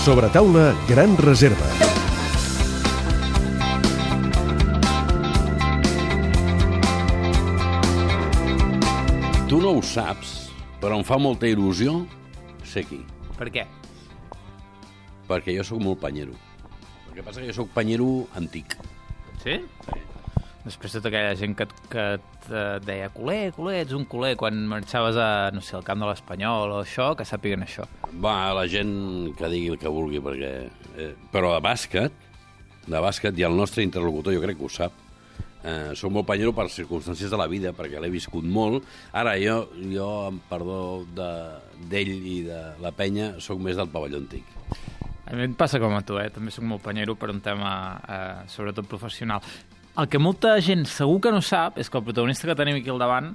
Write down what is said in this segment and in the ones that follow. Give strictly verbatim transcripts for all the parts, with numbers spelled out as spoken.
Sobretaula Gran Reserva. Tu no ho saps, però em fa molta il·lusió ser aquí. Per què? Perquè jo sóc molt panyero. El que passa és que jo sóc panyero antic. Sí? Sí. Després tota aquella gent que, que et deia culer, culer, ets un culer, quan marxaves a, no sé, al camp de l'Espanyol o això, que sàpiguen això. Va, la gent que digui el que vulgui, perquè... Eh, però de bàsquet, de bàsquet, i el nostre interlocutor jo crec que ho sap, eh, soc molt panyero per circumstàncies de la vida, perquè l'he viscut molt. Ara, jo, jo amb perdó d'ell de, i de la penya, sóc més del pavelló antic. A mi em passa com a tu, eh? També soc molt panyero per un tema, eh, sobretot professional. El que molta gent segur que no sap és que el protagonista que tenim aquí al davant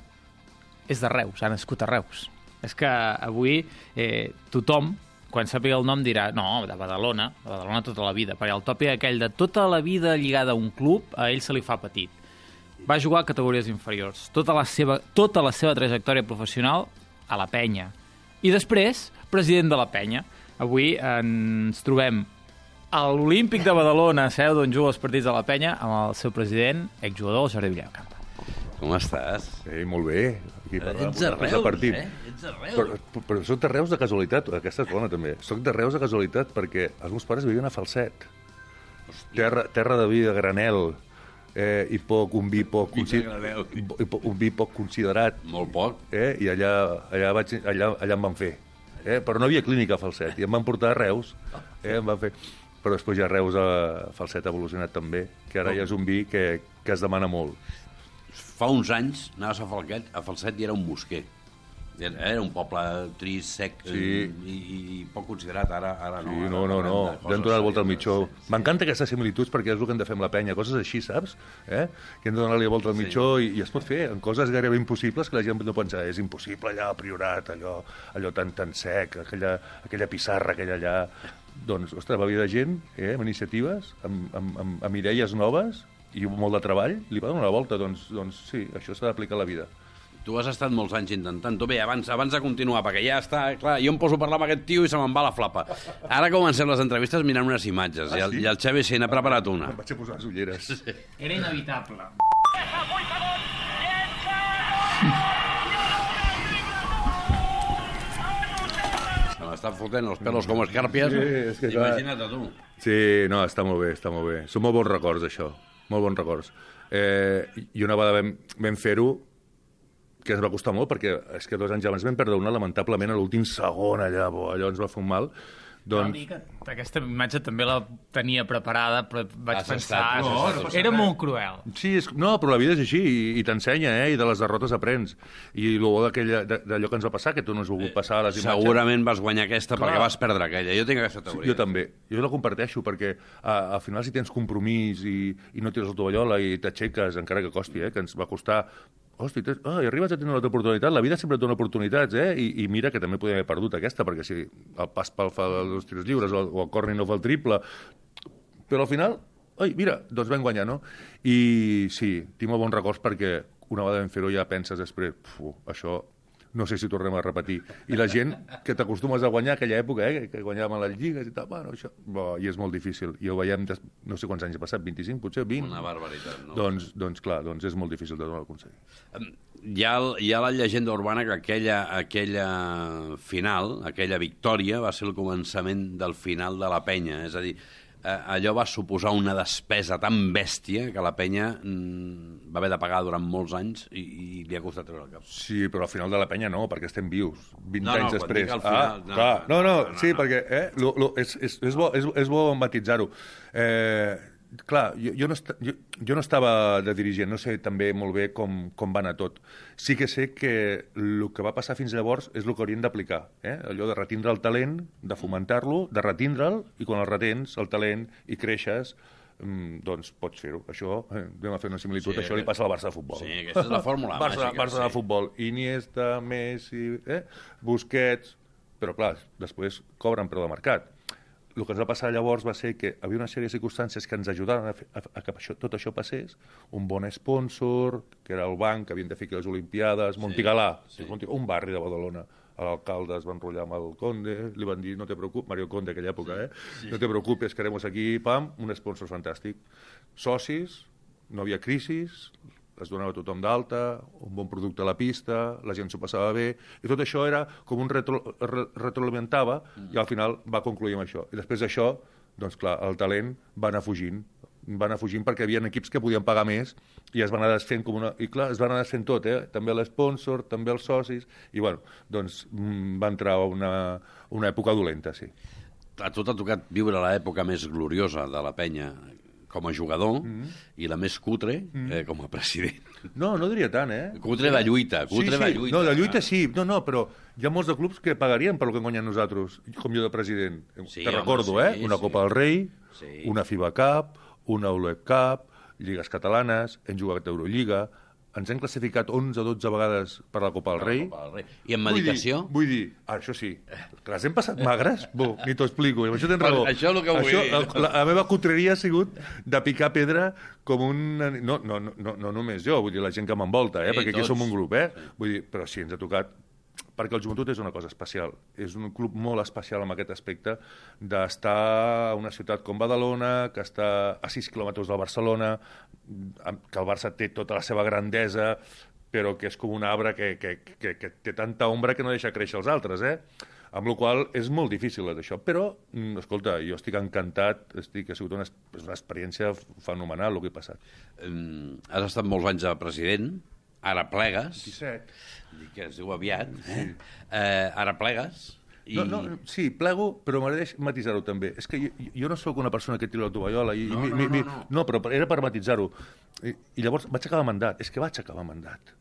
és de Reus, ha nascut a Reus. És que avui eh, tothom, quan sàpiga el nom, dirà no, de Badalona, de Badalona tota la vida, perquè el tòpic aquell de tota la vida lligada a un club, a ell se li fa petit. Va jugar a categories inferiors, tota la seva, tota la seva trajectòria professional a la Penya. I després, president de la Penya. Avui ens trobem a l'Olímpic de Badalona, seu d'on juga els partits de la Penya, amb el seu president, exjugador, Jordi Villacampa. Com estàs? Sí, molt bé. Aquí Ets de Reus, eh? Ets de Reus. Però, però soc de Reus de casualitat, aquesta és bona també. Soc de Reus de casualitat perquè els meus pares vivien a Falset. Terra, terra de vi de granel, eh, i poc, un vi poc, consi... un vi poc considerat. Molt poc. Eh, I allà, allà, vaig, allà, allà em van fer. Eh, però no hi havia clínica a Falset, i em van portar a Reus. Eh, em van fer... Però després ja Reus a Falset ha evolucionat també, que ara ja és un vi que, que es demana molt. Fa uns anys anaves a Falset, a Falset i era un bosquer. Era un poble trist, sec, sí. i, i poc considerat, ara, ara no. Sí, ara no, no, no, hem donat volta al mitjó. Sí, M'encanta aquestes similituds perquè és el que hem de fer amb la penya, coses així, saps? Eh? Que hem de donar-li volta al mitjó sí. i, i es pot fer en coses gairebé impossibles que la gent no pensa, és impossible allà a Priorat, allò, allò tan, tan sec, aquella, aquella pissarra, aquella allà... Doncs, ostres, va haver de gent, eh, amb iniciatives, amb, amb, amb, amb idees noves i molt de treball, li va donar una volta, doncs, doncs sí, això s'ha d'aplicar a la vida. Tu has estat molts anys intentant-ho. Bé, abans, abans de continuar, perquè ja està... Clar, jo em poso a parlar amb aquest tio i se me'n va la flapa. Ara comencem les entrevistes mirant unes imatges, ah, i, el, sí? i el Xavi se n'ha preparat una. Em vaig a posar les ulleres. Sí. Era inevitable. Se m'estan fotent els pelos com escàrpies. Sí, és que imagina't a tu. Sí, no, està molt bé, està molt bé. Són molt bons records, això. Molt bons records. Eh, I una vegada vam, vam fer-ho, que ens va costar molt, perquè és que dos anys abans vam perdre una, lamentablement, a l'últim segon allà, bo, allò ens va fer un mal. Doncs... Que aquesta imatge també la tenia preparada, però vaig has pensar... Estat, no, no, era molt cruel. Sí, és... no, però la vida és així, i, i t'ensenya, eh? I de les derrotes aprens. I el bo d'allò que ens va passar, que tu no has volgut passar a les imatges... Segurament vas guanyar aquesta Clar. perquè vas perdre aquella. Jo tinc aquesta teoria. Sí, jo també. Jo la comparteixo, perquè a, al final si tens compromís i, i no tires la tovallola i t'aixeques, encara que costi, eh? Que ens va costar... Hosti, tens... oh, i arribes a tenir una altra oportunitat. La vida sempre et dona oportunitats, eh? I, i mira que també podem haver perdut aquesta, perquè si el pas pel fa els tirs lliures o el, o el corner no fa el triple... Però al final, oi, mira, doncs vam guanyar, no? I sí, tinc molt bons records perquè una vegada vam fer-ho ja penses després, uf, això no sé si tornem a repetir. I la gent que t'acostumes a guanyar aquella època, eh? Que guanyàvem a les lligues i tal, bueno, això... Bo, i és molt difícil. I ho veiem, des... no sé quants anys ha passat, vint-i-cinc, potser, vint? Una barbaritat, no? Doncs, doncs clar, doncs és molt difícil de aconseguir. Hi ha, hi ha la llegenda urbana que aquella, aquella final, aquella victòria, va ser el començament del final de la penya. És a dir, allò va suposar una despesa tan bèstia que la penya mm, va haver de pagar durant molts anys i, i li ha costat treure el cap. Sí, però al final de la penya no, perquè estem vius, vint no, no, anys després. Final, ah, no, clar, no, no, no, no, sí, no. perquè eh, lo, lo, és, és, és, bo, és, és bo matitzar-ho. Eh, clar, jo, jo, no est jo, jo no estava de dirigent, no sé també molt bé com, com va anar tot. Sí que sé que el que va passar fins llavors és el que haurien d'aplicar. Eh? Allò de retindre el talent, de fomentar-lo, de retindre'l, i quan el retens, el talent, i creixes, doncs pots fer-ho. Això, eh, anem a fer una similitud, sí, això li passa al Barça de futbol. Sí, aquesta és la fórmula Barça, màgica. Barça sí. de futbol. Iniesta, Messi, eh? Busquets... Però, clar, després cobren preu de mercat. El que ens va passar llavors va ser que havia una sèrie de circumstàncies que ens ajudaren a, fer, a, a que això, tot això passés. Un bon sponsor, que era el banc, que havien de fer aquí les Olimpiades, Montigalà, sí, sí. un barri de Badalona. l'alcalde es va enrotllar amb el Conde, li van dir, no te preocupes, Mario Conde, aquella època, eh? Sí. No te preocupes, que haremos aquí, pam, un sponsor fantàstic. Socis, no havia crisis, es donava tothom d'alta, un bon producte a la pista, la gent s'ho passava bé, i tot això era com un retro, re, retroalimentava, mm. i al final va concluir amb això. I després d'això, doncs clar, el talent va anar fugint, va anar fugint perquè hi havia equips que podien pagar més i es van anar desfent com una... I clar, es van anar desfent tot, eh? També l'esponsor, també els socis, i bueno, doncs va entrar una, una època dolenta, sí. A tu t'ha tocat viure l'època més gloriosa de la penya com a jugador mm-hmm. i la més cutre mm-hmm. eh, com a president. No, no diria tant, eh? Cutre de lluita, cutre sí, sí. de lluita. No, de lluita sí, no, no, però hi ha molts de clubs que pagarien per lo que hem guanyat nosaltres, com jo de president. Sí, Te home, recordo, sí, eh? Una sí. Copa del Rei, sí. una FIBA Cup, una U L E C Cup, lligues catalanes, hem jugat a Eurolliga, ens hem classificat onze o dotze vegades per la Copa del Rei. Copa del Rei. I en medicació? Vull dir, vull dir ah, això sí, que les hem passat magres, bo, ni t'ho explico, i amb això tens raó. Això és el que vull això, dir. La, la meva cutreria ha sigut de picar pedra com un... No, no, no, no, no només jo, vull dir, la gent que m'envolta, eh? Sí, perquè aquí tots. som un grup, eh? Vull dir, però sí, ens ha tocat perquè el joventut és una cosa especial. És un club molt especial en aquest aspecte d'estar a una ciutat com Badalona, que està a sis quilòmetres del Barcelona, que el Barça té tota la seva grandesa, però que és com un arbre que, que, que, que té tanta ombra que no deixa créixer els altres, eh? Amb la qual cosa és molt difícil això. Però, escolta, jo estic encantat, estic, ha sigut una, una experiència fenomenal el que he passat. Um, has estat molts anys de president, ara plegues. disset. Dic que es diu aviat. Eh? Sí. Eh, ara plegues. I... No, no, sí, plego, però m'agradaria matisar-ho també. És que jo, jo no sóc una persona que tira la tovallola. I, no, mi, no, mi, no, no, no. no, però era per matisar-ho. I, I llavors vaig acabar mandat. És que vaig acabar mandat.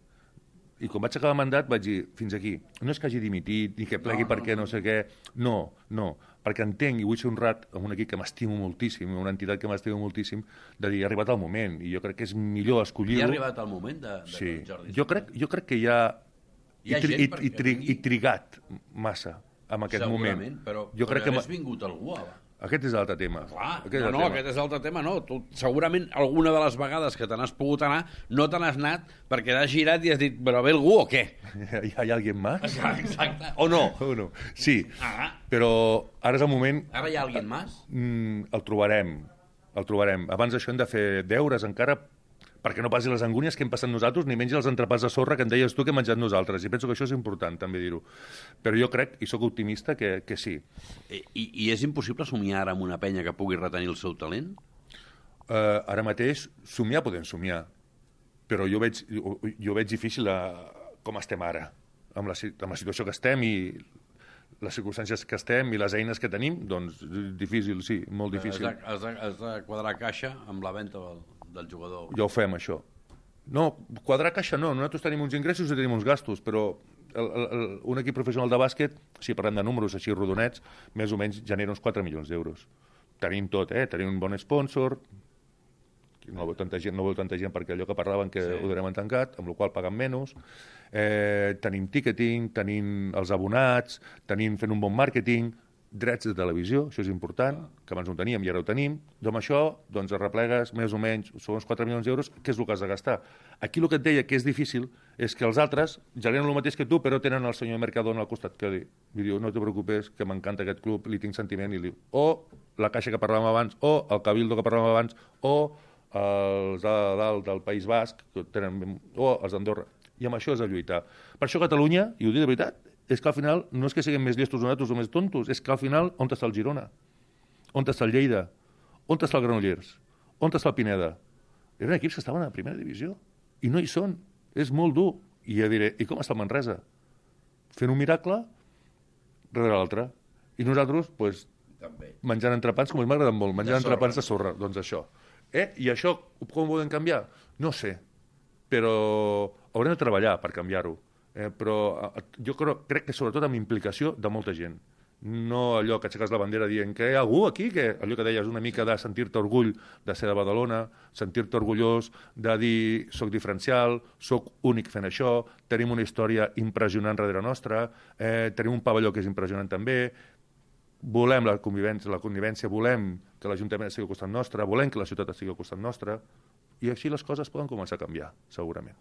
I quan vaig acabar mandat vaig dir, fins aquí. No és que hagi dimitit, ni que plegui no, perquè no, no sé què. No, no. Perquè entenc i vull ser honrat amb un equip que m'estimo moltíssim, una entitat que m'estimo moltíssim, de dir, ha arribat el moment. I jo crec que és millor escollir-ho. Ja ha arribat el moment de, de sí. Jordi. Jo crec, jo crec que ja... Hi ha I, tri, gent i, perquè i, tri, vingui. i trigat massa en aquest Segurament, moment. però, jo però crec que hagués vingut algú, ara. Aquest és l'altre tema. Clar, aquest no, no, tema. aquest és l'altre tema, no. Tu, segurament alguna de les vegades que te n'has pogut anar no te n'has anat perquè t'has girat i has dit, però ve algú o què? Hi ha, hi ha algú més? Exacte. O no? O no. Sí, Ah. però ara és el moment... Ara hi ha algú més? Mm, el trobarem, el trobarem. Abans d'això hem de fer deures encara perquè no passi les angúnies que hem passat nosaltres ni menys els entrepans de sorra que em deies tu que hem menjat nosaltres. I penso que això és important, també dir-ho. Però jo crec, i sóc optimista, que, que sí. I, I és impossible somiar ara amb una penya que pugui retenir el seu talent? Uh, ara mateix, somiar podem somiar, però jo veig, jo, jo veig difícil a, com estem ara, amb la, amb la situació que estem i les circumstàncies que estem i les eines que tenim, doncs difícil, sí, molt difícil. Has de, has de, has de quadrar caixa amb la venda del, del jugador. Ja ho fem, això. No, quadrar caixa no, nosaltres tenim uns ingressos i tenim uns gastos, però el, el, el, un equip professional de bàsquet, si parlem de números així rodonets, més o menys genera uns quatre milions d'euros. Tenim tot, eh? Tenim un bon sponsor, no vol tanta gent, no vol tanta gent perquè allò que parlaven que sí. Ho donem en tancat, amb la qual paguen menys, eh, tenim ticketing, tenim els abonats, tenim fent un bon màrqueting, drets de televisió, això és important, que abans no ho teníem i ara ho tenim, doncs amb això doncs arreplegues més o menys, són uns quatre milions d'euros, què és el que has de gastar? Aquí el que et deia que és difícil és que els altres generen el mateix que tu, però tenen el senyor Mercadona al costat, que li, li diu, no te preocupes, que m'encanta aquest club, li tinc sentiment, i li diu, o la caixa que parlàvem abans, o el cabildo que parlàvem abans, o els de dalt del País Basc, que tenen, o els d'Andorra. I amb això és de lluitar. Per això Catalunya, i ho dic de veritat, és que al final no és que siguem més llestos nosaltres o més tontos, és que al final on està el Girona? On està el Lleida? On està el Granollers? On està el Pineda? Eren equips que estaven a la primera divisió i no hi són. És molt dur. I ja diré, i com està el Manresa? Fent un miracle rere l'altre. I nosaltres, doncs, També. menjant entrepans, com m'agraden molt, menjant De sorra. entrepans de sorra. Doncs això. Eh? I això, com ho podem canviar? No sé. Però haurem de treballar per canviar-ho. Eh, però jo crec, crec que sobretot amb implicació de molta gent. No allò que aixeques la bandera dient que hi ha algú aquí, que allò que deies una mica de sentir-te orgull de ser de Badalona, sentir-te orgullós de dir soc diferencial, soc únic fent això, tenim una història impressionant darrere nostra, eh, tenim un pavelló que és impressionant també, volem la convivència, la convivència, volem que l'Ajuntament estigui al costat nostre, volem que la ciutat estigui al costat nostre, i així les coses poden començar a canviar, segurament.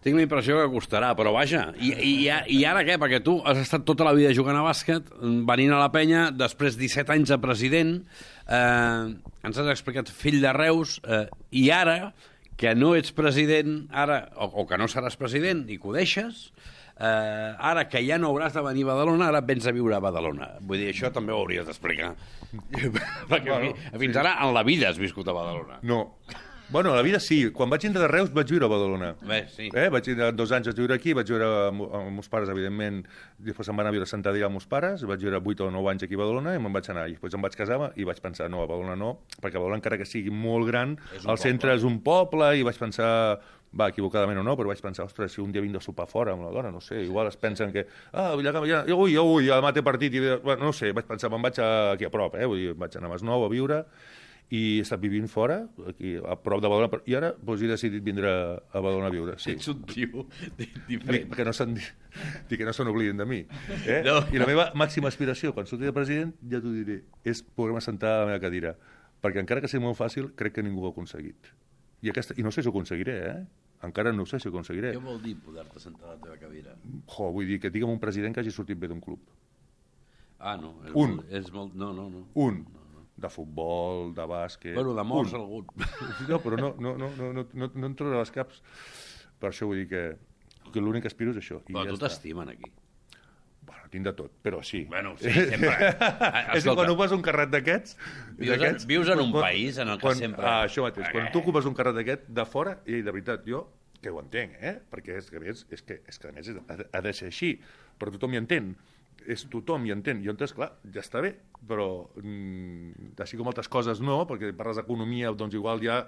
Tinc la impressió que costarà, però vaja. I, i, I ara què? Perquè tu has estat tota la vida jugant a bàsquet, venint a la penya, després disset anys de president, eh, ens has explicat fill de Reus, eh, i ara, que no ets president, ara o, o que no seràs president i que ho deixes, eh, ara que ja no hauràs de venir a Badalona, ara vens a viure a Badalona. Vull dir, això també ho hauries d'explicar. Perquè bueno, fins sí. Ara en la vida has viscut a Badalona. No. Bueno, a la vida sí. Quan vaig entrar de Reus vaig viure a Badalona. Bé, sí. Eh? Vaig ir dos anys a viure aquí, vaig viure amb, amb els meus pares, evidentment. Després em van a viure a Sant Adrià amb els pares, vaig viure vuit o nou anys aquí a Badalona i me'n vaig anar. I després em vaig casar i vaig pensar, no, a Badalona no, perquè a Badalona, encara que sigui molt gran, el centre és un poble, i vaig pensar, va, equivocadament o no, però vaig pensar, ostres, si un dia vinc de sopar fora amb la dona, no sé, igual es pensen que, ah, ja, ja, ui, ui, ja demà té partit, i, bueno, no sé, vaig pensar, me'n vaig aquí a prop, eh? Vull dir, vaig anar a Masnou a viure, i he estat vivint fora, aquí a prop de Badalona, i ara doncs, he decidit vindre a Badalona a viure. Sí. Ets un tio diferent. Dic que no se'n dic que no se n'oblidin de mi. Eh? No. I la meva màxima aspiració, quan surti de president, ja t'ho diré, és poder-me sentar a la meva cadira. Perquè encara que sigui molt fàcil, crec que ningú ho ha aconseguit. I, aquesta, i no sé si ho aconseguiré, eh? Encara no sé si ho aconseguiré. Què vol dir poder-te sentar a la teva cadira? Jo, vull dir que digue'm un president que hagi sortit bé d'un club. Ah, no. És un. Molt, és molt... No, no, no. Un. No. De futbol, de bàsquet... Bueno, de morts algun. No, però no, no, no, no, no, no, no em trobo les caps. Per això vull dir que, que l'únic que aspiro és això. I però ja tu t'estimen aquí. Bueno, tinc de tot, però sí. Bueno, sí, sempre. És que quan ocupes un carret d'aquests... Vius, en, vius en un quan, país en el que quan, sempre... Ah, això mateix. Quan tu ocupes un carret d'aquest, de fora, i de veritat, jo, que ho entenc, eh? Perquè és que, és, és que, és que a més ha, ha de ser així, però tothom hi entén. És tothom hi entén, i llavors, clar, ja està bé, però mm, així com altres coses no, perquè parles d'economia, doncs igual ja,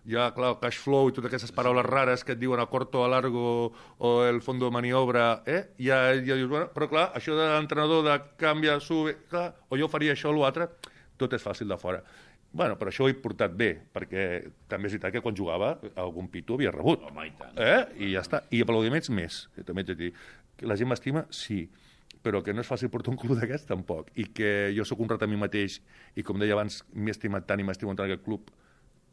ja, clar, el cash flow i totes aquestes paraules rares que et diuen a corto, a largo, o el fondo de maniobra, eh? Ja, ja dius, bueno, però clar, això de l'entrenador de canvia, sube, clar, o jo faria això o l'altre, tot és fàcil de fora. Bueno, però això ho he portat bé, perquè també és veritat que quan jugava algun pito havia rebut. Home, i tant. Eh? I ja està. I aplaudiments més, també t'he de dir. Que la gent m'estima, sí, però que no és fàcil portar un club d'aquests, tampoc. I que jo sóc honrat a mi mateix, i com deia abans, m'he estimat tant i m'estimo tant aquest club,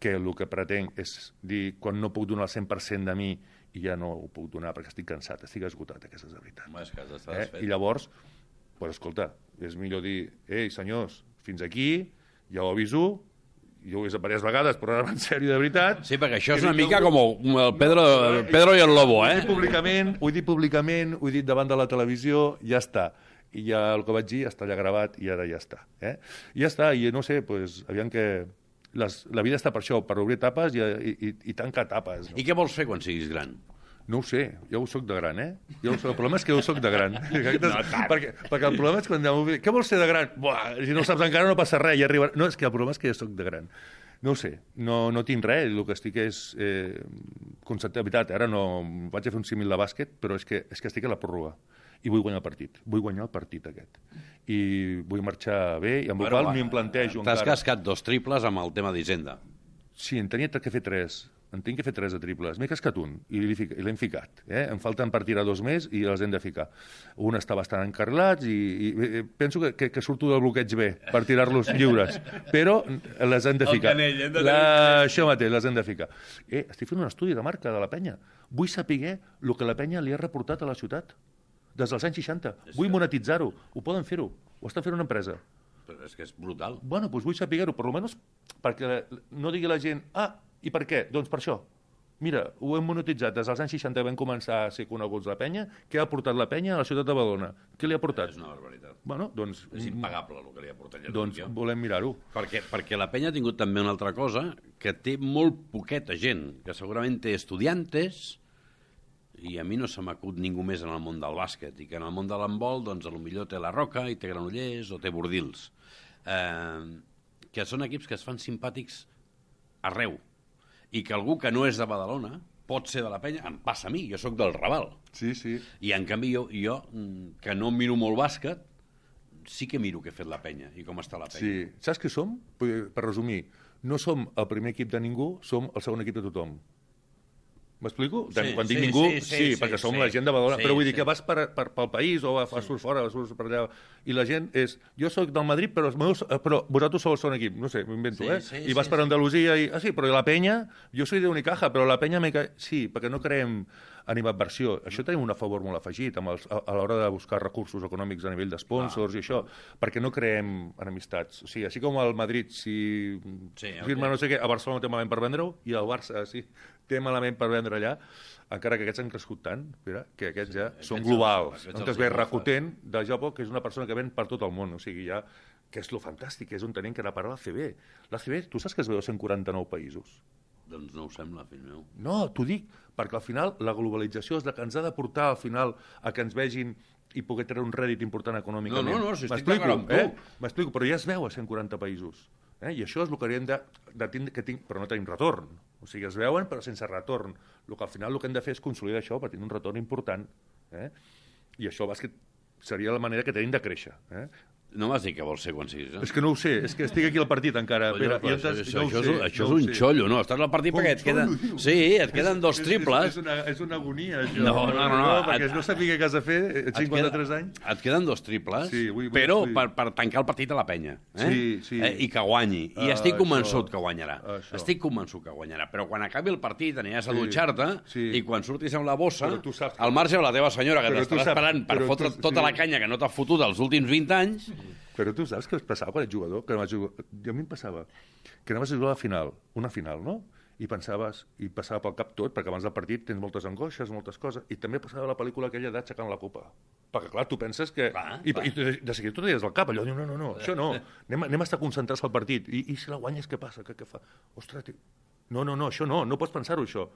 que el que pretenc és dir, quan no puc donar el cent per cent de mi, i ja no ho puc donar perquè estic cansat, estic esgotat, aquesta és la veritat. Home, és que has d'estar eh? desfet. I llavors, pues, escolta, és millor dir, ei, senyors, fins aquí, ja ho aviso, jo ho he vist diverses vegades, però ara en sèrio, de veritat... Sí, perquè això és una mica com el Pedro, el Pedro i el Lobo, eh? Ho he dit públicament, ho he dit públicament, ho he dit davant de la televisió, ja està. I ja el que vaig dir està allà gravat i ara ja està. Eh? I ja està, i no sé, pues, aviam que... Les, la vida està per això, per obrir etapes i, i, i, i tancar etapes. No? I què vols fer quan siguis gran? No ho sé, jo ho soc de gran, eh? Jo soc, el problema és que jo soc de gran. No perquè, perquè el problema és quan... Què vols ser de gran? Buah, si no saps encara no passa res, ja arribarà... No, és que el problema és que jo soc de gran. No ho sé, no, no tinc res, el que estic és... Eh, concepte, de veritat, ara no... Vaig a fer un símil de bàsquet, però és que, és que estic a la pròrroga. I vull guanyar el partit. Vull guanyar el partit aquest. I vull marxar bé, i amb bueno, el qual m'hi plantejo encara... T'has cascat dos triples amb el tema d'Hisenda. Sí, en tenia que fer tres. En tinc que fer tres de triples. M'he cascat un i l'hem ficat. Eh? Em falten per tirar dos més i els hem de ficar. Un està bastant encarrilat i, i penso que, que, que surto del bloqueig bé per tirar-los lliures. Però les hem de ficar. Canell, hem de la... Això mateix, les hem de ficar. Eh, estic fent un estudi de marca de la penya. Vull saber el que la penya li ha reportat a la ciutat des dels anys seixanta. Vull monetitzar-ho. Ho poden fer-ho. Ho estan fent una empresa. Però és que és brutal. Bueno, doncs vull saber-ho, per almenys perquè no digui la gent, ah, i per què? Doncs per això. Mira, ho hem monetitzat des dels anys seixanta, vam començar a ser coneguts la penya. Què ha portat la penya a la ciutat de Badalona? Què li ha portat? És una barbaritat. Bueno, doncs... És impagable el que li ha portat. Doncs volem mirar-ho. Perquè, perquè la penya ha tingut també una altra cosa, que té molt poqueta gent, que segurament té estudiantes, i a mi no se m'acut ningú més en el món del bàsquet, i que en el món de l'handbol, doncs, potser té la Roca, i té Granollers, o té Bordils. Eh, que són equips que es fan simpàtics arreu. I que algú que no és de Badalona pot ser de la penya, em passa a mi, jo sóc del Raval. Sí, sí. I en canvi jo, jo que no miro molt bàsquet, sí que miro què ha fet la penya i com està la penya. Sí. Saps què som? Per resumir, no som el primer equip de ningú, som el segon equip de tothom. M'explico? Sí, Quan dic sí, ningú, sí, sí, sí, perquè sí, som sí. la gent de Badalona, Sí, però vull dir sí. que vas per, per, pel país o vas sí. fora, vas per allà, i la gent és, jo sóc del Madrid, però, els meus, però vosaltres sou el segon equip, no sé, m'ho invento, Sí, eh? sí, I vas sí, per sí. Andalusia i, ah sí, però la penya, jo soy de Unicaja, però la penya me ca... Sí, perquè no creem animadversió. Això tenim un favor molt afegit amb els, a, a l'hora de buscar recursos econòmics a nivell d'esponsors ah. i això, perquè no creem enemistats. O sigui, així com el Madrid, si sí, firma okay. no sé què, a Barcelona té malament per vendre-ho, i el Barça, sí, té malament per vendre allà, encara que aquests han crescut tant, mira, que aquests ja sí, són aquests globals. On es ve Rakuten de Japó, que és una persona que ven per tot el món, o sigui, ja, que és lo fantàstic, que és on tenim que anar a parar l'A C B. L'A C B, tu saps que es veu a cent quaranta-nou països? Doncs no ho sembla, fill meu. No, t'ho dic, perquè al final la globalització és la que ens ha de portar al final a que ens vegin i poder treure un rèdit important econòmicament. No, no, no, si estic d'acord amb tu. Eh? M'explico, però ja es veu a cent quaranta països. Eh? I això és el que hauríem de, de tindre, que tinc, però no tenim retorn. O sigui, es veuen però sense retorn. El que al final el que hem de fer és consolidar això per tenir un retorn important. Eh? I això el bàsquet seria la manera que tenim de créixer. Eh? No m'has dit que vols ser quan siguis, eh? És que no ho sé, és que estic aquí al partit encara. Però, Pere, però, això, això, no això, sé, és, això no és un sé. xollo, no? Estàs al partit Com perquè et queden... xollo, Sí, et queden dos és, triples. És, és, una, és una agonia, això. No, no, no. no perquè et, no sabia què has de fer, cinquanta-tres queda, anys. Et queden dos triples, sí, vull, vull, però vull. Per, per tancar el partit a la penya. Eh? Sí, sí. Eh? I que guanyi. I Uh, estic convençut això, que guanyarà. això. Estic convençut que guanyarà. Però quan acabi el partit aniràs a Sí, dutxar-te sí. i quan surtis amb la bossa, saps que- al marge de la teva senyora, que Però tu t'estarà saps- esperant per però fotre tu- tota sí. la canya que no t'ha fotut els últims vint anys... Però tu saps què es passava quan ets jugador? Que no jugar... A mi em passava que anaves a jugar a la final, una final, no? I pensaves, i passava pel cap tot, perquè abans del partit tens moltes angoixes, moltes coses, i també passava la pel·lícula aquella d'aixecant la copa. Perquè, clar, tu penses que... Clar, I, clar. i de, de seguida tu deies al cap, allò, diu, no, no, no, això no, anem, anem a estar concentrats al partit. I, i si la guanyes, què passa? Què, què fa? Ostres, tio. No, no, no, això no, no pots pensar-ho, això.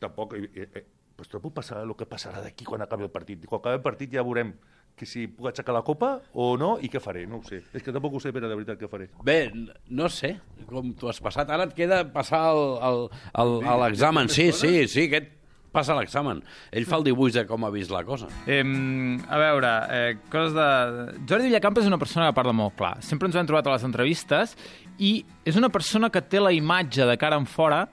Tampoc, eh, eh, eh, pues tot pot passar el que passarà d'aquí quan acabi el partit. Quan acabi el partit ja veurem que si puc aixecar la copa o no, i què faré, no ho sé. És que tampoc ho sé, Pere, de veritat, què faré. Bé, no sé com t'ho has passat. Ara et queda passar el, el, el, el, l'examen. Sí, sí, sí, aquest passa l'examen. Ell fa el dibuix de com ha vist la cosa. Eh, a veure, eh, coses de... Jordi Villacampa és una persona que parla molt clar. Sempre ens ho hem trobat a les entrevistes i és una persona que té la imatge de cara en fora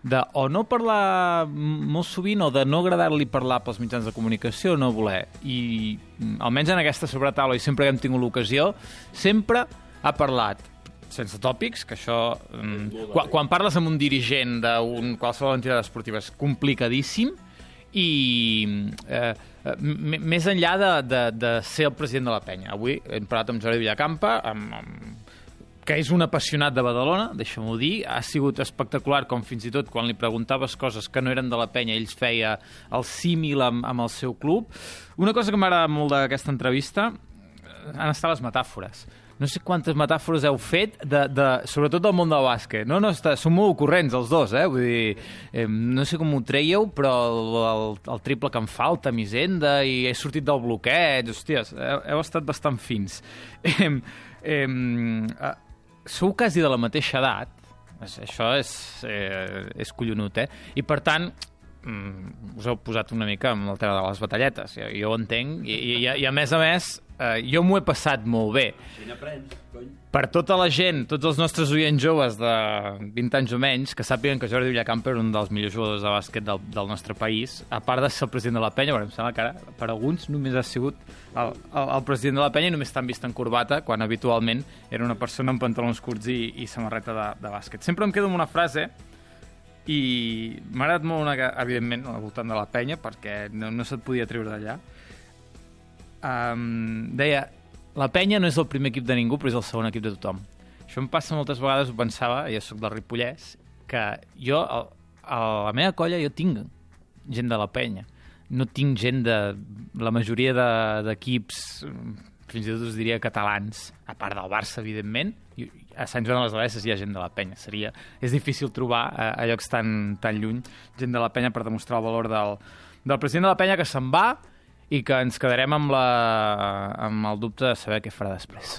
de o no parlar molt sovint o de no agradar-li parlar pels mitjans de comunicació o no voler. I almenys en aquesta sobretaula, i sempre que hem tingut l'ocasió, sempre ha parlat sense tòpics, que això... Mm, quan, quan parles amb un dirigent d'un qualsevol entitat esportiva és complicadíssim, i eh, més enllà de, de, de ser el president de la penya. Avui hem parlat amb Jordi Villacampa, amb, amb, que és un apassionat de Badalona, deixa'm-ho dir. Ha sigut espectacular, com fins i tot quan li preguntaves coses que no eren de la penya, ell feia el símil amb, amb el seu club. Una cosa que m'agrada molt d'aquesta entrevista han estat les metàfores. No sé quantes metàfores heu fet, de, de, sobretot del món del bàsquet. No, no, està, són molt ocorrents els dos, eh? Vull dir, eh, no sé com ho treieu, però el, el, el triple que em falta, Misenda, i he sortit del bloqueig, hòsties, heu, heu estat bastant fins. Eh, eh, eh, sou quasi de la mateixa edat, això és, eh, és collonut, eh? I per tant, us heu posat una mica amb el tema de les batalletes, jo, jo ho entenc, i, i, i a més a més, eh, jo m'ho he passat molt bé. Si n'aprens, cony. Per tota la gent, tots els nostres oients joves de vint anys o menys, que sàpiguen que Jordi Villacampa era un dels millors jugadors de bàsquet del, del nostre país, a part de ser el president de la penya, bueno, em sembla que ara, per alguns només ha sigut el, el, el president de la penya i només t'han vist en corbata, quan habitualment era una persona amb pantalons curts i, i samarreta de, de bàsquet. Sempre em quedo amb una frase, i m'ha agradat molt una que, evidentment, al voltant de la penya, perquè no, no se't podia treure d'allà. Um, deia, la penya no és el primer equip de ningú, però és el segon equip de tothom. Això em passa moltes vegades, ho pensava, jo soc del Ripollès, que jo, a, a la meva colla, jo tinc gent de la penya. No tinc gent de... La majoria d'equips, fins i tot us diria catalans, a part del Barça, evidentment, i a Sant Joan de les Abadesses hi ha gent de la penya. Seria, és difícil trobar a, a llocs tan, tan lluny gent de la penya per demostrar el valor del, del president de la penya, que se'n va i que ens quedarem amb, la, amb el dubte de saber què farà després.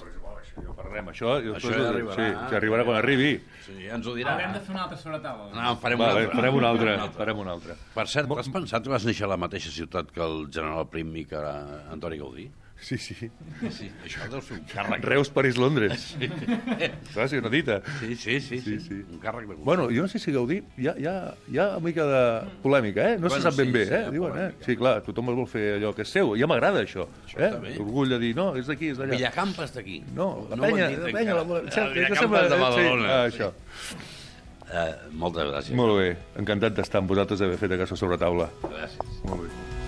Ja parlem, això, Això ja arribarà. Sí, ja arribarà quan arribi. Sí, ja ens ho dirà. Haurem de fer una altra sobretaula. No, en farem Vale, una altra. farem una altra, farem una altra. Per cert, has pensat que vas néixer a la mateixa ciutat que el general Prim i que era Antoni Gaudí? Sí, sí. Sí, això deu ser un càrrec. Reus, París, Londres. Clar, sí, una dita. Sí, sí, sí, sí, Sí, sí. un càrrec de gust. Bueno, jo no sé si Gaudí... Hi ha, hi ha, hi ha una mica de polèmica, eh? No Bueno, se sap ben sí, bé, sí, eh? hi ha Diuen, eh? polèmica. Sí, clar, tothom es vol fer allò que és seu. Ja m'agrada, això. Això eh? està bé. L'orgull de dir, no, és d'aquí, és d'allà. Villacampa és d'aquí. No, la ho han penya, dit la penya, encara. la... Ah, Villacampa és de Badalona. Sí, ah, això. Eh, moltes gràcies. Molt bé, encantat d'estar amb vosaltres, d'haver fet aquesta sobretaula. Gràcies. Molt bé.